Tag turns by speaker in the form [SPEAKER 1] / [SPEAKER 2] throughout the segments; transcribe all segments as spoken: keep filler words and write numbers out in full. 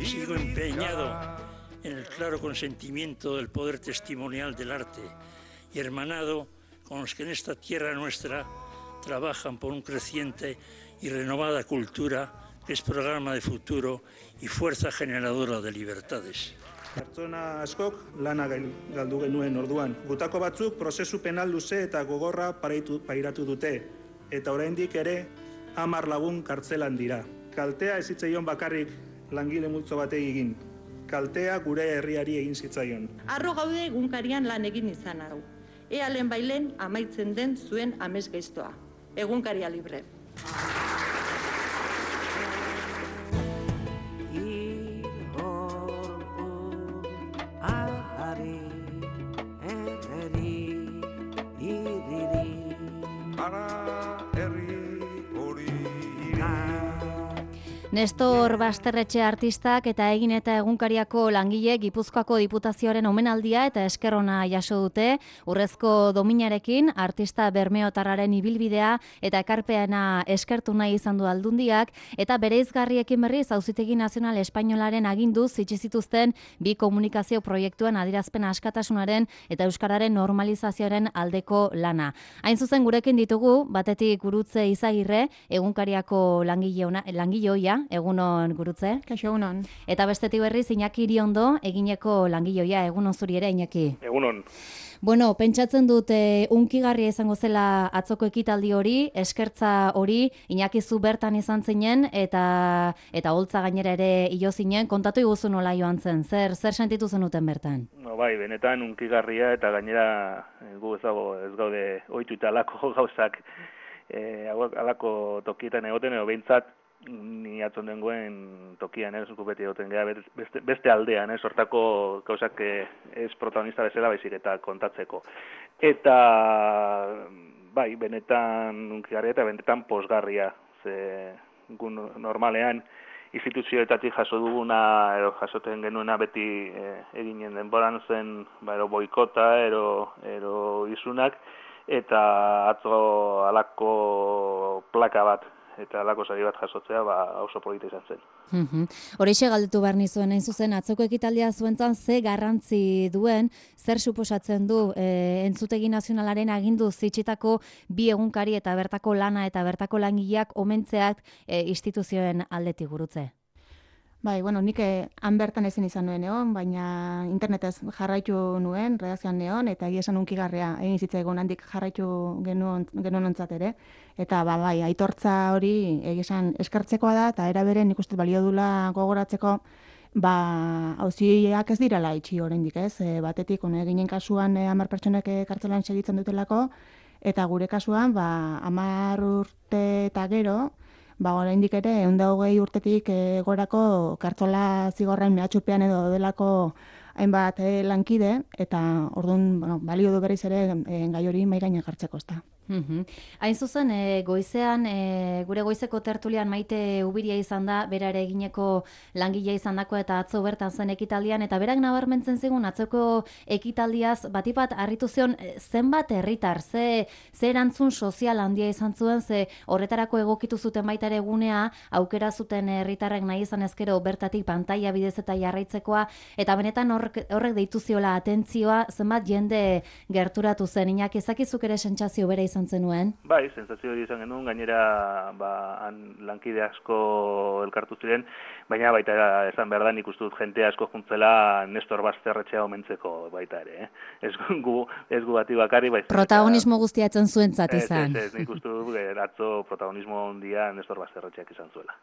[SPEAKER 1] Sigo empeñado en el claro consentimiento del poder testimonial del arte y hermanado con los que en esta tierra nuestra trabajan por un creciente y renovada cultura que es programa de futuro y fuerza generadora de libertades.
[SPEAKER 2] Pertsona askok lana galdu genuen orduan. Gutako batzuk prozesu penal luze eta gogorra paraitu, pairatu dute, eta oraindik ere hamar lagun kartzelan dira. Kaltea ez zitzaion bakarrik langile multzo batei egin. Kaltea gure herriari egin zitzaion.
[SPEAKER 3] Arro gaude egunkarian lan egin izan hau. Ea lehen bailen amaitzen den zuen amez gaiztoa. Egunkaria libre.
[SPEAKER 4] Nestor Basterretxe artistak eta Egin eta Egunkariako langile Gipuzkoako Diputazioaren omenaldia eta esker ona jaso dute. Urrezko dominarekin artista bermeotarraren ibilbidea eta ekarpena eskertu nahi izan du Aldundiak eta bereizgarriekin berriz Auzitegi Nazional Espainolaren aginduz itxi zituzten bi komunikazio proiektuen adierazpen askatasunaren eta euskararen normalizazioaren aldeko lana. Hain zuzen gurekin ditugu batetik Gurutze Izagirre, Egunkariako langile ona, langile ohia. Egunon Gurutze.
[SPEAKER 5] Kaixo, egunon.
[SPEAKER 4] Eta bestetik berriz Iñaki Iriondo, Egineko langileoia. Egunon zuri ere, Iñaki.
[SPEAKER 6] Egunon.
[SPEAKER 4] Bueno, pentsatzen dut e, unkigarria izango zela atzoko ekitaldi hori, eskertza hori, Iñaki zu bertan izan zinen eta eta holtza gainera ere hilo zinen, kontatu iguzu nola joan zen, zer zer sentitu zenuten bertan?
[SPEAKER 6] No, bai, benetan unkigarria eta gainera gu ez dago ez gaude ohituta alako gauzak eh alako tokietan egoten edo behintzat ni atzon dengoen tokian, ez, gu beti egoten gara beste, beste aldean, ez, hortako gauzak ez protagonista bezala baizik eta kontatzeko. Eta, bai, benetan unkigarria eta benetan posgarria, ze gu normalean instituzioetatik jaso duguna, edo jasoten genuena beti e, eginen denboran zen, ba, ero boikota, ero, ero izunak, eta atzo alako plaka bat, eta alako sari bat jasotzea, ba, oso polita izan zen.
[SPEAKER 4] Mm-hmm. Horixe galdetu behar nizuen, hain zuzen, atzoko ekitaldia zuentzan ze garrantzi duen, zer suposatzen du e, Entzutegi Nazionalaren agindu zitsitako bi egunkari eta bertako lana eta bertako langileak omentzeak e, instituzioen aldetik Gurutze?
[SPEAKER 5] Bai, bueno, nik han bertan ezin izan nuen egon, baina internetez jarraitu nuen, redakzioan neon, eta egia esan unkigarria egin zitzaigun handik jarraitu genuen ontzat ere. Eta ba, bai, aitortza hori egia esan eskertzekoa da, eta era beren nik uste balio dula gogoratzeko, ba, auziak ez direla itxi oraindik, ez? E, batetik, one, ginen kasuan e, hamar pertsonek e, kartzelan segitzen dutelako, eta gure kasuan, ba, hamar urte eta gero, ba, oraindik ere, ehun eta hogei urtetik e, gorako kartzola zigorren mehatxupean edo delako hainbat e, lankide, eta orduan, bueno, balio du berriz ere e, gai hori mahai gainean jartzeko, ezta.
[SPEAKER 4] Mm-hmm. Hain zuzen, e, goizean, e, gure goizeko tertulian Maite Ubiria izan da, bera ere Egineko langilea izan dako eta atzo bertan zen ekitaldian, eta berak nabarmentzen zigun atzoko ekitaldiaz, batipat harritu zion zenbat herritar, ze, ze erantzun sozial handia izan zuen, ze horretarako egokitu zuten baita ere egunea, aukera zuten herritarrek nahi izan ezkero bertatik pantaila bidez eta jarraitzekoa, eta benetan horrek, horrek deitu ziola atentzioa, zenbat jende gerturatu zen, Iñaki, ezakizuk ere sentsazio bere izan zenuen?
[SPEAKER 6] Bai, sentsazio hori izan genuen, gainera ba, han lankide asko elkartu ziren, baina baita esan behar da nik uste dut jente asko juntzela Nestor Basterretxea omentzeko baita ere. Eh? Ez gu, ez gu bati bakari, baizik.
[SPEAKER 4] Protagonismo guztia etzen zuentzat izan.
[SPEAKER 6] Ez, ez, ez, nik uste dut atzo protagonismo handia Nestor Basterretxeak izan zuela.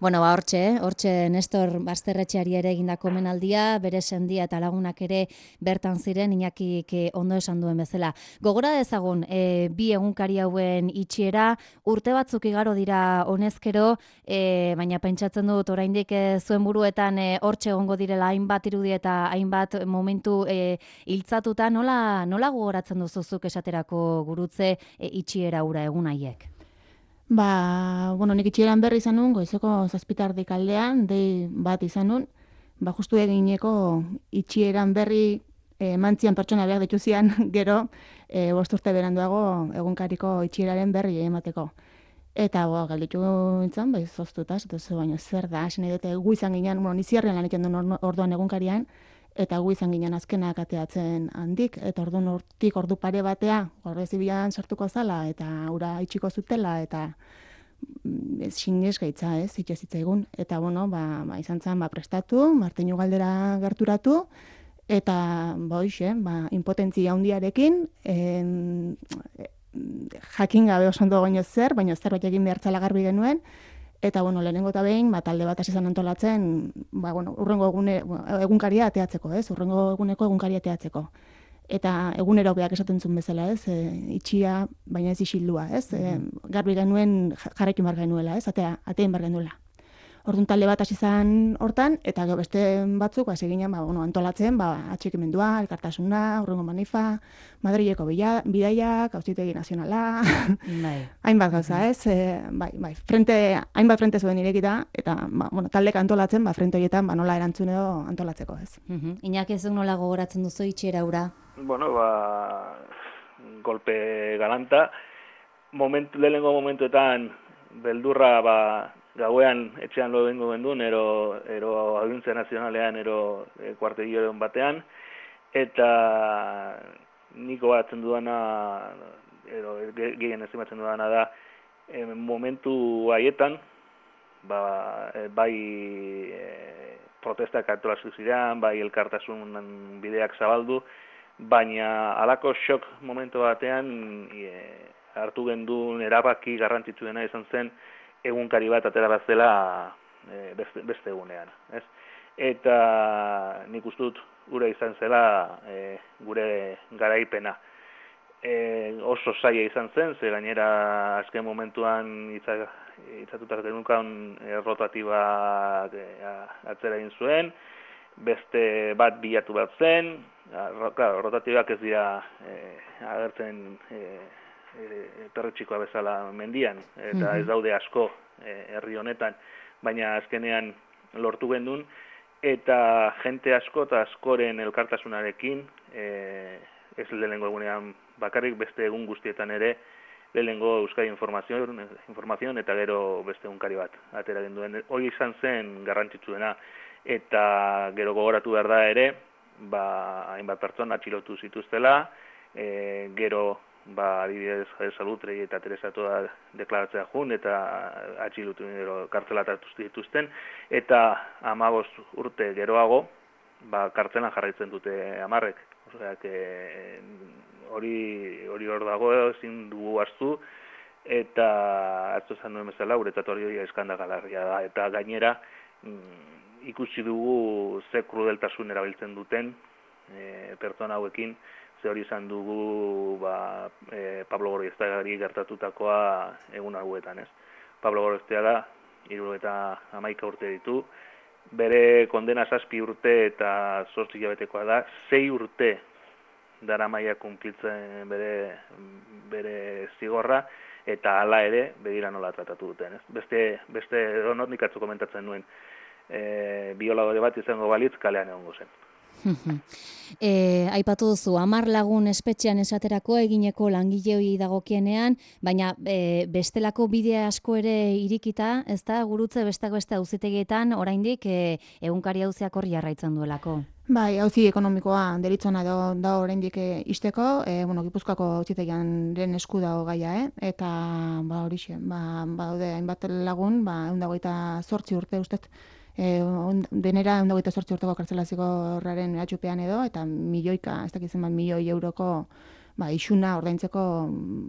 [SPEAKER 4] Bueno, ba, hortxe, hortxe Nestor Basterretxeari ere egindako omenaldia, bere sendia eta lagunak ere bertan ziren, Iñakik ondo esan duen bezala. Gogora dezagun, e, bi egunkari hauen itxiera, urte batzuk igaro dira honezkero, e, baina pentsatzen dut oraindik e, zuen buruetan e, hortxe egongo direla hainbat irudi eta hainbat momentu e, hiltzatuta, nola, nola gogoratzen duzuzuk esaterako Gurutze e, itxiera ura egun haiek?
[SPEAKER 5] Ba, bueno, nik itxieran berri izan nun, goizeko zazpitardik aldean, dei bat izan nun, ba, justu Egineko itxieran berri e, mantzian pertsona behar dituzian gero, e, bost urte beranduago egunkariko itxieraren berri emateko. Eta bo, galditu nintzen, bai, zoztuta, eta zu baino zer da, hasi nahi dute gu izan ginen, bueno, niziarrean lan egiten duen orduan egunkarian, eta gu izan ginen azkenak ateatzen handik, eta orduan hortik ordu pare batea, Guardia Zibilan sartuko zala, eta ura itxiko zutela, eta ez xinez gaitza, ez, itxe zitzaigun. Eta, bueno, ba, ba, izan zen, ba, prestatu, martinu galdera gerturatu, eta, ba, hoxe, ba, impotentzia handiarekin, en, jakin gabe oso ondo goino zer, baina zerbait egin behartzala garbi genuen, eta bueno, lehenengo eta behin, ba, talde bat hasi zen antolatzen, ba, bueno, urrengo egune, egunkaria ateatzeko, ez? Urrengo eguneko egunkaria ateatzeko. Eta egunero beak esaten zuen bezala, ez? E, itxia, baina ez isildua, ez? E, garbi genuen jarraitu bar genuela, ez? Atea, atein bar genuela. Orduan talde bat hasi zen hortan, eta gero beste batzuk, ba, seginen, ba, bueno, antolatzen, ba, atxikimendua, elkartasuna, urrengo manifa, Madrileko bidaiak, auzitegi nazionala, bai. Hainbat gauza, ez? E, bai, bai, frente, hainbat frente zuen irekita, eta, ba, bueno, taldeka antolatzen, ba, frente horietan, ba, nola erantzun edo antolatzeko, ez?
[SPEAKER 4] Uh-huh. Iñaki, ezuk nola gogoratzen duzu itxera ura?
[SPEAKER 6] Bueno, ba, golpe galanta, momentu, lehenengo momentuetan, beldurra, ba, gauean etxean lo dengo gendun, ero, ero Audiencia Nazionalean, ero e, kuartegioen batean, eta niko batzen dudana, ero gehien estimatzen dudana da, e, momentu haietan, ba, e, bai e, protestak antolatu ziren, bai elkartasun bideak zabaldu, baina halako shock momentu batean e, hartu gendun erabaki garrantzitsuena izan zen, egunkari bat atera bat zela e, beste, beste egunean. Ez? Eta nik uste dut gure izan zela e, gure garaipena. E, oso zaila izan zen, ze gainera azken momentuan itzatutak denukan e, rotatiba e, atzera egin zuen, beste bat bilatu bat zen, claro, rotatibak ez dira e, agertzen e, perretxikoa bezala mendian, eta ez daude asko herri honetan, baina azkenean lortu gendun, eta jente asko eta askoren elkartasunarekin, e, ez lehenengo egunean bakarrik, beste egun guztietan ere, lehenengo Euskadi Informazion, Informazion eta gero beste egunkari bat atera genduen. Hori izan zen garrantzitsuena, eta gero gogoratu behar da ere, ba, hainbat pertsona atxilotu zituztela, e, gero ba, adibidez, Salutrei eta Teresa Toda deklaratzea jun, eta atxilutu kartzelatatu dituzten, eta hamabost urte geroago, ba, kartzelan jarraitzen dute hamarrek. Osea, hori hori hor dago, ezin dugu hartu, eta atzo esan duen bezala, guretzat hori eskandagalarria da, eta gainera mm, ikusi dugu ze krudeltasun erabiltzen duten e, pertsona hauekin, ze hori izan dugu ba, e, Pablo Gorostiagari gertatutakoa egun hauetan, ez? Pablo Gorostiaga hirurogeita hamaika urte ditu, bere kondena zazpi urte eta zortzi hilabetekoa da, sei urte daramaia kunplitzen bere, bere zigorra, eta hala ere begira nola tratatu duten, ez? Beste, beste donot nik atzu komentatzen nuen, e, bioladore bat izango balitz kalean egongo zen.
[SPEAKER 4] E, aipatu duzu, hamar lagun espetxean esaterako egineko langileoi dagokienean, baina e, bestelako bide asko ere irikita, ez da, gurutze bestako beste auzitegietan oraindik e, egunkari auziak hori jarraitzen duelako.
[SPEAKER 5] Bai, auzi ekonomikoa deritzona da, da oraindik isteko, e, bueno, Gipuzkoako auzitegiaren esku dago gaia, eh? Eta ba horixe, ba daude hainbat lagun, ba ehun eta hogeita zortzi urte ustez. E, on, denera ehun eta hogeita zortzi urteko kartzelaziko horraren eratxupean edo, eta milioika, ez dakitzen bat milioi euroko ba, isuna ordaintzeko,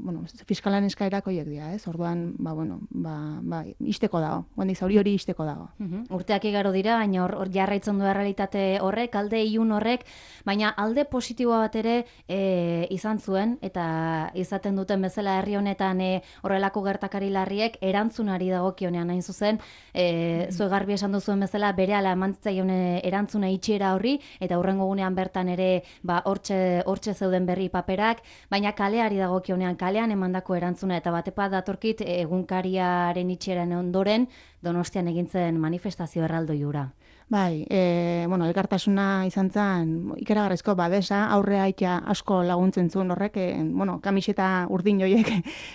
[SPEAKER 5] bueno, fiskalan eskaerak horiek dira, ez? Orduan, ba, bueno, ba, ba, isteko dago, guandik zauri hori isteko dago.
[SPEAKER 4] Uhum. Urteak igaro dira, baina hor, hor jarraitzen du realitate horrek, alde ilun horrek, baina alde positiboa bat ere e, izan zuen, eta izaten duten bezala herri honetan e, horrelako gertakari larriek erantzunari dagokionean hain zuzen, e, zue garbi esan duzuen bezala berehala emantzaion erantzuna itxiera horri, eta hurrengo gunean bertan ere ba, hortxe, hortxe zeuden berri paperak, baina kaleari dagokionean kalean emandako erantzuna eta batepat datorkit egunkariaren itxieran ondoren Donostian egintzen manifestazio erraldoi hura.
[SPEAKER 5] Bai, e, bueno, elkartasuna izan zen ikaragarrizko babesa, aurre aitea asko laguntzen zuen horrek, e, bueno, kamiseta urdin joiek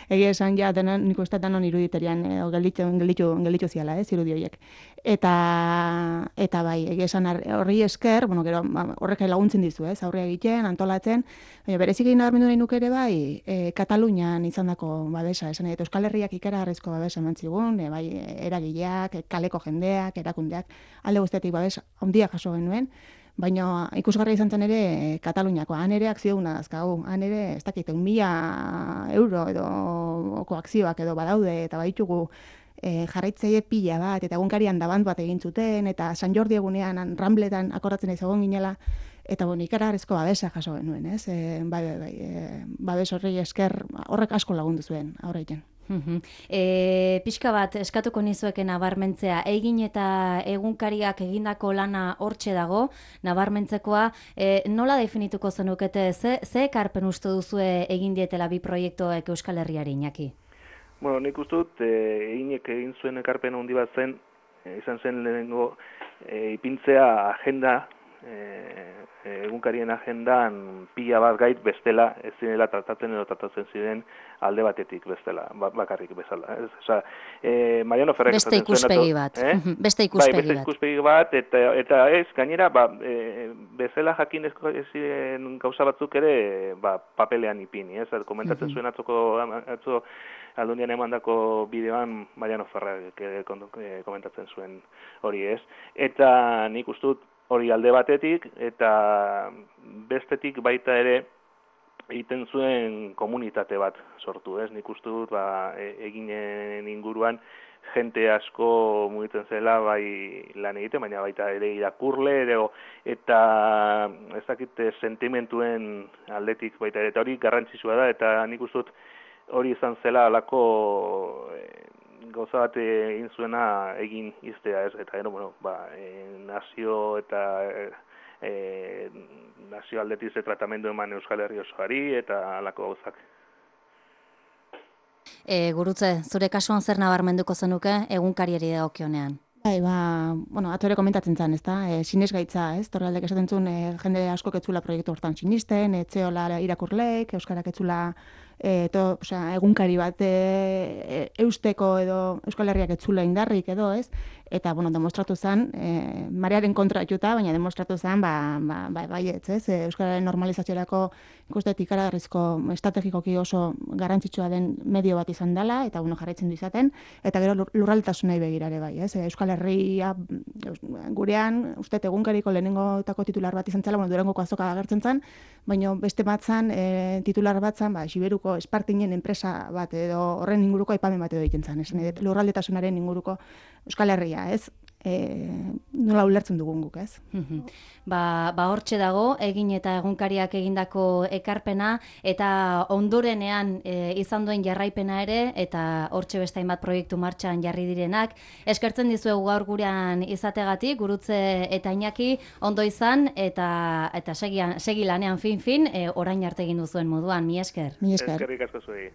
[SPEAKER 5] egia esan ja denon, nik uste denon iruditerian, e, gelditu, gelditu, gelditu ziala, ez, irudi horiek. Eta, eta bai, egia esan horri esker, bueno, gero, horrek laguntzen dizu, ez, aurre egiten, antolatzen, baina berezik egin nabarmendu nahi nuke ere bai, e, Katalunian izandako babesa, esan eta Euskal Herriak ikaragarrizko babesa eman zigun, e, bai, eragileak, kaleko jendeak, erakundeak, alde guztiak babes handia jaso genuen, baina ikusgarria izan zen ere Kataluniako, han ere akzio guna dazkagu, han ere, ez dakit, un mila euro edo koakzioak edo badaude, eta baditugu e, jarraitzaile pila bat, eta egunkarian dabant bat egin zuten, eta San Jordi egunean Rambletan akordatzen izagon ginela, eta bueno, ikaragarrizko babesa jaso genuen, ez? E, bai, bai, bai, e, babes horri esker horrek asko lagundu zuen aurreiten.
[SPEAKER 4] E, pixka bat eskatuko nizueken nabarmentzea, egin eta egunkariak egindako lana hortxe dago, nabarmentzekoa, e, nola definituko zenukete, ze, ze ekarpen uste duzue egin dietela bi proiektuek Euskal Herriari, Iñaki?
[SPEAKER 6] Bueno, nik uste dut, e, eginek egin zuen ekarpen handi bat zen, e, izan zen lehenengo e, ipintzea agenda, e, egunkarien agendan pila bat gait bestela ez zinela tratatzen edo tratatzen ziren alde batetik bestela, bakarrik bezala. Ez, oza, e, Mariano Ferrek
[SPEAKER 4] beste ikuspegi bat, eh? beste ikuspegi
[SPEAKER 6] bai, beste
[SPEAKER 4] bat.
[SPEAKER 6] ikuspegi bat, eta, eta ez, gainera, ba, e, bezala jakin ezin gauza batzuk ere ba, papelean ipini, ez? Komentatzen zuen atzoko, atzo Aldundian emandako bideoan Mariano Ferrek komentatzen zuen hori, ez? Eta nik uste dut hori alde batetik, eta bestetik baita ere egiten zuen komunitate bat sortu, ez? Nik uste dut, ba, eginen inguruan jente asko mugitzen zela bai lan egiten, baina baita ere irakurle, ere, eta ez dakit sentimentuen aldetik baita ere, eta hori garrantzitsua da, eta nik uste dut hori izan zela alako gauza bat egin zuena egin iztea, ez, eta gero, bueno, ba, e, nazio eta e, e, nazio aldetiz tratamendu eman Euskal Herri osoari, eta alako gauzak.
[SPEAKER 4] E, gurutze, zure kasuan zer nabarmenduko zenuke egunkariari dagokionean?
[SPEAKER 5] Bai, ba, bueno, atore komentatzen zen, ez da, e, sinesgaitza, ez, Torraldek esaten zuen, e, jende asko ketzula proiektu hortan sinisten, etxeola irakurleek, euskarak ketzula E, to, osea, egunkari bat e, eusteko edo Euskal Herriak etzula indarrik edo, ez? Eta, bueno, demostratu zen, e, marearen kontra juta, baina demostratu zen, ba, ba, ba, baietz, ez? E, Euskararen normalizaziorako ikustetik ikaragarrizko estrategikoki oso garrantzitsua den medio bat izan dela, eta, bueno, jarraitzen du izaten, eta gero lurraldetasunei begirare bai, ez? E, Euskal Herria gurean, uste egunkariko lehenengotako titular bat izan zela, bueno, Durangoko azoka agertzen zen, baina beste bat zen, e, titular bat zen, ba, Siberuko Espartinen enpresa bat edo horren inguruko aipamen bat edo egiten zen, esan edo lurraldetasunaren inguruko Euskal Herria, ez? E, nola ulertzen dugun guk, ez?
[SPEAKER 4] ba, ba hortxe dago, egin eta egunkariak egindako ekarpena, eta ondorenean e, izan duen jarraipena ere, eta hortxe beste hainbat proiektu martxan jarri direnak. Eskertzen dizuegu gaur gurean izategatik, Gurutze eta Iñaki, ondo izan, eta eta segian, segi lanean fin-fin, e, orain arte egin duzuen moduan, mi esker.
[SPEAKER 5] Mi esker.
[SPEAKER 6] Eskerrik asko zuei.